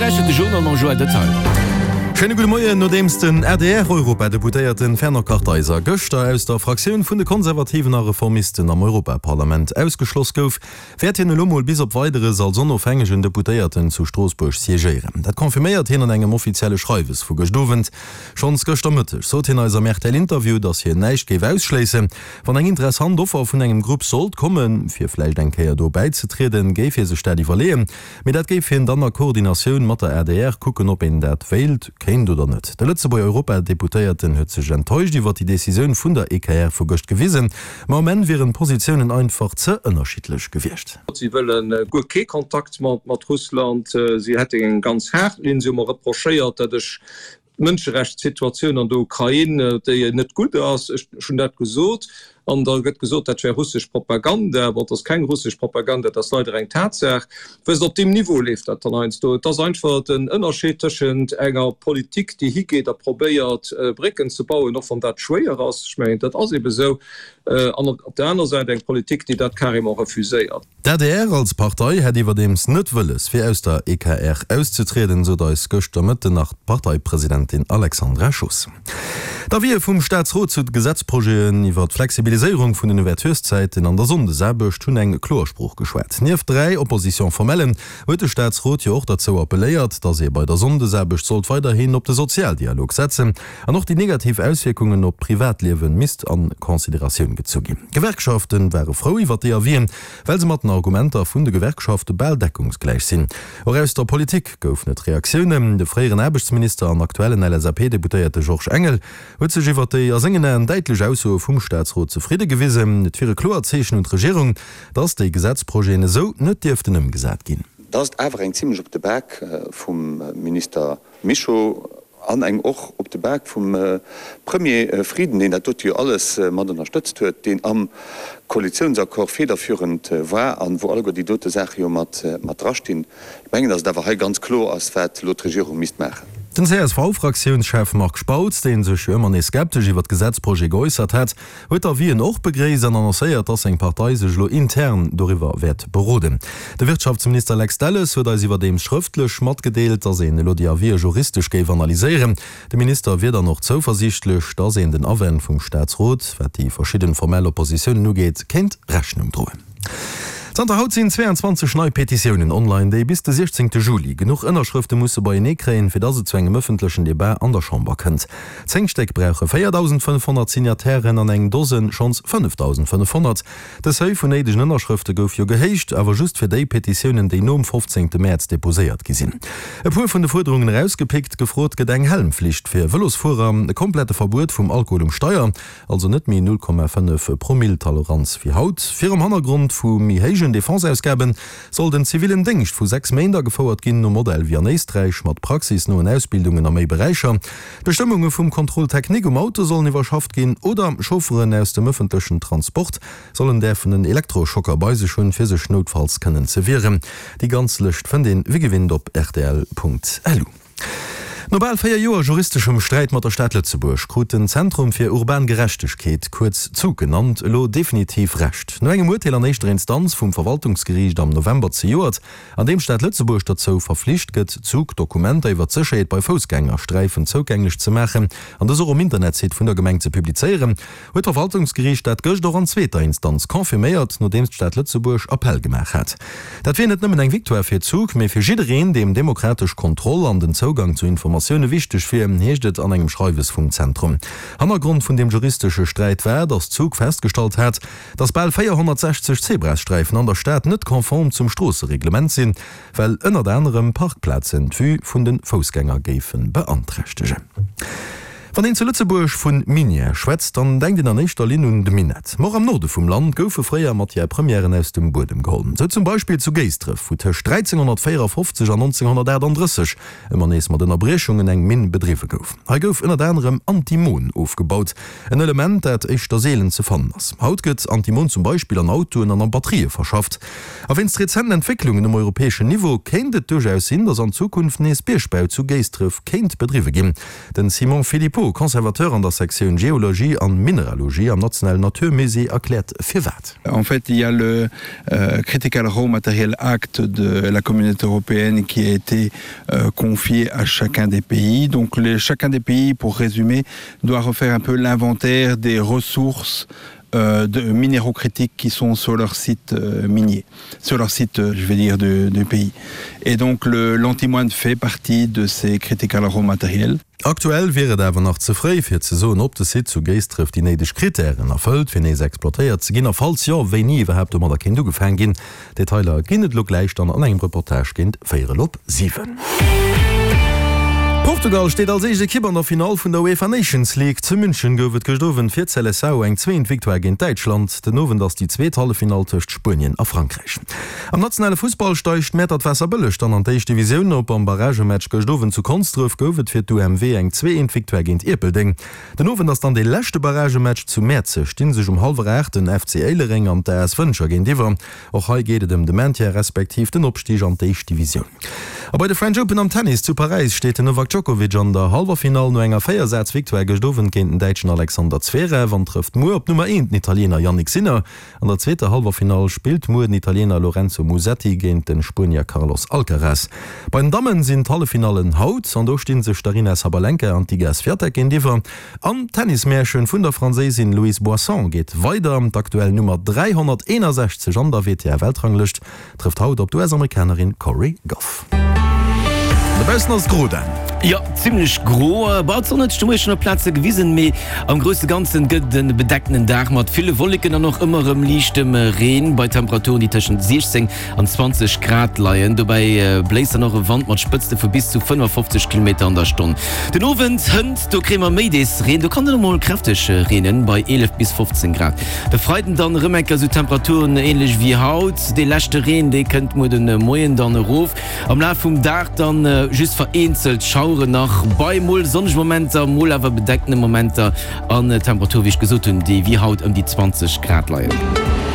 Dir lauschtert de Journal mam Joël Detail. Schéine gudde Moien. Nodeems den ADR-Europadeputéierte Fernand Kartheiser gëschter aus der Fraktioun vun de Konservativen a Reformisten am Europaparlament ausgeschloss gouf, wäert hien elo mol bis op Weideres als onofhängegen Deputéierten zu Stroossbuerg siégéieren. Dat confirméiert hien an engem offizielle Schreiwes vu gëscht Owend. Schonns gëschter Mëtteg sot hien eis am RTL-Interview, datt hien näischt géif ausschléissen, Wann eng interessant Offer vun engem Grupp sollt kommen, fir vläicht eng Kéier do bäizetrieden, géif hie sech dat iwwerleeën. Mee dat géif hien dann a Koordinatioun mat der adr kucken, ob een dat wéilt, kéint oder net. De Lëtzebuerger Europadeputéierten huet sech enttäuscht iwwer déi Decisioun vun der EKR vu gëscht gewisen, ma um Enn wieren d'Positiounen einfach ze ënnerschiddlech gewiescht. Si wëlle guer kee Kontakt mat Russland. Si hätten eng ganz haart Linn. Si hu mer reprochéiert, datt ech D'Mënscherechtssituatioun an der Ukrain, déi net gutt ass, ech hunn dat gesot, an da gëtt gesot, dat wär russesch Propaganda. Bon, et ass keng russesch Propaganda, et ass leider eng Tatsaach. Wësst, op deem Niveau leeft dat dann heiansdo. Et ass einfach den Ënnerscheed tëschent enger Politik, déi higeet a probéiert, Brécken ze bauen, och wann dat schwéier ass, ech mengen, dat ass ebe sou, an op der aner Säit eng Politik, déi dat carrément refuséiert. D'adr als Partei hätt iwwerdeems net wëlles, fir aus der EKR auszetrieden, sot eis gëschter Mëtten nach d'Parteipresidentin Alexandra Schoos. D'Avisë vum Staatsrot zu de Gesetzprojeten iwwer d'Flexibiliséierung vun den Ouvertureszäiten an der Sonndesaarbecht hunn eng kloer Sprooch geschwat. Nieft 3 Opposition-formellen huet de Staatsrot jo och derzou appelléiert, datt ee bei der Sonndesaarbecht sollt weiderhin op de Sozialdialog setzen An och déi negativ Auswierkungen op d'Privatliewe misst a Consideratioun gezu ginn. D'Gewerkschafte ware frou iwwer déi Avisen, well se mat den Argumenter vun de Gewerkschafte bal deckungsgläich sinn. Och aus der Politik goufen et Reaktiounen. De fréieren Aarbechtsminister an aktuellen LSAP-Deputéierte Georges Engel huet sech iwwer déi a sengen Aen däitlech Aussoe vum Staatsrot zefridde gewisen. Et wier e kloert Zeechen un d'Regierung, datt déi Gesetzprojeten esou net dierften ëmgesat ginn. Dat ass awer eng zimlech op de Bak vum Minister Mischo an eng och op de Bak vum Premier Frieden, deen dat dote jo alles mat ënnerstëtzt huet, deen am Koalitiounsaccord federführend war an wou alleguer déi dote Saache jo mat drastinn. Ech mengen, datt et awer hei ganz kloer ass, wat elo d'Regierung misst maachen. Den CSV-Fraktiounschef Marc Spautz, dee sech jo ëmmer nees skeptesch iwwer d'Gesetzprojet geäussert hat, huet d'Avisen och begréisst an annoncéiert, dass seng Partei sech elo intern doriwwer wäert beroden. De Wirtschaftsminister Lex Delles huet eis iwwerdeems schrëftlech matgedeelt, dass een elo déi Avisë juristesch géif analyséieren. De Minister wier dann och zouversiichtlech, dass een den Awänn vum Staatsrot, wat déi verschidden formell Oppositiounen ugeet, kéint Rechnung droen. Zanter haut sinn 22 nei Petitiounen online, déi bis de 16 Juli genuch Ënnerschrëfte musse beienee kréien, fir dass et zu engem ëffentlechen Debat an der Chamber kënnt. 10 Stéck brauche 4.500 Signatairen an eng Dosen schonns 5.500. De Seuil vun néidegen Ënnerschrëfte gouf jo gehéicht, awer just fir déi Petitiounen, déi nom 15 Mäerz deposéiert gi sinn. E puer vun de Fuerderungen erausgepickt, Gefrot gëtt eng Helmflicht fir Vëlosfuerer, e komplette Verbuet vum Alkohol um Steier, also net méi 0,5 Promill Toleranz wéi haut. Virum Hannergrond vu méi héijen Defenseausgaben soll den zivillen Déngscht vu 6 Méint agefouert ginn, nom Modell wéi an Éisträich, mat praxisnoen Ausbildungen a méi Beräicher. D'Bestëmmunge vum Contrôle technique um Auto sollen iwwerschafft ginn oder Chaufferen aus dem ëffentlechen Transport sollen däerfen en Elektroschocker bei sech hunn, fir sech noutfalls kënnen ze wieren. Déi ganz Lëscht fënnt een wéi gewinnt op rtl.lu. No bal 4 Joer juristeschem Sträit mat der Stad Lëtzebuerg krut den Zentrum fir urban Gerechtegkeet, kuerz ZUG genannt, elo definitiv Recht. No engem Urteel an éischter Instanz vum Verwaltungsgeriicht am November zejoert, an deem d'Stad Lëtzebuerg derzou verflicht gëtt, ZUG Dokumenter iwwer d'Sécherheet bei Foussgängersträifen zougänglech ze maachen an dës och um Internetsite vun der Gemeng ze publizéieren, huet d'Verwaltungsgeriicht dat gëscht och an zweeter Instanz confirméiert, nodeems d'Stad Lëtzebuerg Appell gemaach hat. Dat wier net nëmmen eng Victoire fir Zug, mee fir jiddereen, deem demokratesch Kontroll an den Zougang zu Informatioune wichteg wier, heescht et an engem Schreiwes vum Zentrum. Hannergrond vun deem juristesche Sträit war, datt Zug festgestallt hat, datt bal 460 Zebrasträifen an der Stad net konform zum Stroossereglement sinn, well ënnert anerem Parkplazen d'Vue vun de Foussgänger géife beanträchtegen. Wann een zu Lëtzebuerg vu Minière schwätzt, dann denkt een an éischter Linn un de Minett. Ma och am Norde vum Land goufe fréier Matière Premièren aus dem Buedem geholl. Sou zum Beispill zu Géisdref, wou tëscht 1354 an 1938 ëmmer nees mat Ënnerbriechungen eng Minn bedriwwe gouf. Hei gouf ënnert anerem Antimon ofgebaut, en Element, dat éischter seelen ze fannen ass. Haut gëtt Antimon zum Beispill an Autoen an a Batterië verschafft. A wéinst rezenten Entwécklungen um europäeschen Niveau kéint et duerchaus sinn, datt an Zukunft nees Biergbau zu Géisdref kéint bedriwwe ginn. Den Simon Philippot. Thibault, Conservateur an der Sektioun Geologie an Mineralogie am Nationalen Natur Musée, erkläert firwat. En fait, il y a le Critical Raw Material Act de la Communauté européenne qui a été confié à chacun des pays. Donc les, chacun des pays, pour résumer, doit refaire un peu l'inventaire des ressources euh, de minéraux critiques qui sont sur leur site euh, minier, sur leur site euh, je vais dire du, du pays. Et donc l'antimoine fait partie de ces critical raw matériels. Aktuell wier et awer nach ze fréi fir ze soen, ob de Site zu Géisdref déi néideg Krittären erfëllt, fir nees exploitéiert ze ginn a falls jo, wéini iwwerhaapt domadder kéint ugefaang ginn. Detailer ginn et elo gläich dann an engem Reportage géint véierel op 7. Portugal steet als éischt Ekipp an der Finall vun der UEFA Nations League. Zu München gouf et gëscht Owend fir d'Seleção eng zweent Victoire géint Däitschland. Den Owend ass déi zweet Halleffinall tëscht Spuenien a Frankräich. Am nationale Fussball steigt Mäertert Waasserbëlleg dann an d'éischt Divisioun op. Am Barragematch gëscht Owend zu Konsdref gouf et fir d'UMW eng 2 Eent Victoire géint Ierpeldeng. Den Owend ass dann dee leschte Barragematch. Zu Mäerzeg sti sech um hallwer 8 den FC Éilereng an d'AS Wëntger géintiwwer. Och hei geet et ëm de Maintien respektiv den Opstig an d'éischt Divisioun. A bei de French Open am Tennis zu Paräis steet den Novak Djokovic an der Hallwerfinall no enger Véiersaz-Victoire gëscht Owend géint den Däitschen Alexander Zverev an trëfft muer op d'Nummer 1, den Italiener Jannik Sinner. An der zweeter Hallwerfinall spillt muer den Italiener Lorenzo Musetti géint de Spuenier Carlos Alcaraz. Bei den Dammen sinn d'Halleffinallen haut an do sti sech d'Aryna Sabalenka an d'Iga Swiatek géintiwwer. An d'Tennismärchen vun der Franséisin Louise Boisson geet weider. D'aktuell Nummer 361 an der WTA-Weltranglëscht Trëfft haut op d'US-Amerikanerin Cori Gauff. Dobaussen ass et gro, Dan. Jo, zimmlech gro. Bah, d'Sonn huet sech de Moie schonn op Plaze gewisen, mee am grousse Ganzen gëtt et e bedeckten Dag mat ville Wolleken an och ëmmer erëm liichtem Reen bei Temperaturen, déi tëschent 16 an 20 Grad leien. Dobäi bléist dann och e Wand mat Spëtzte vu bis zu 55 Kilometer an der Stonn. Den Owend hënt, do kréie mer méi dees Reen, do kann et och mol kräfteg reenen bei 11 bis 15 Grad. De Freiden dann erëm eng Kéier esou Temperaturen änlech wéi haut. Dee leschte Reen, dee kënnt muer de Moien dann erof. Am Laf vum Dag dann just vereenzelt Schaueren nach bei mol sonnege Momenter, mol awer bedeckene Momenter an Temperature wéi ech gesot hunn, déi wéi haut ëm déi 20 Grad leien.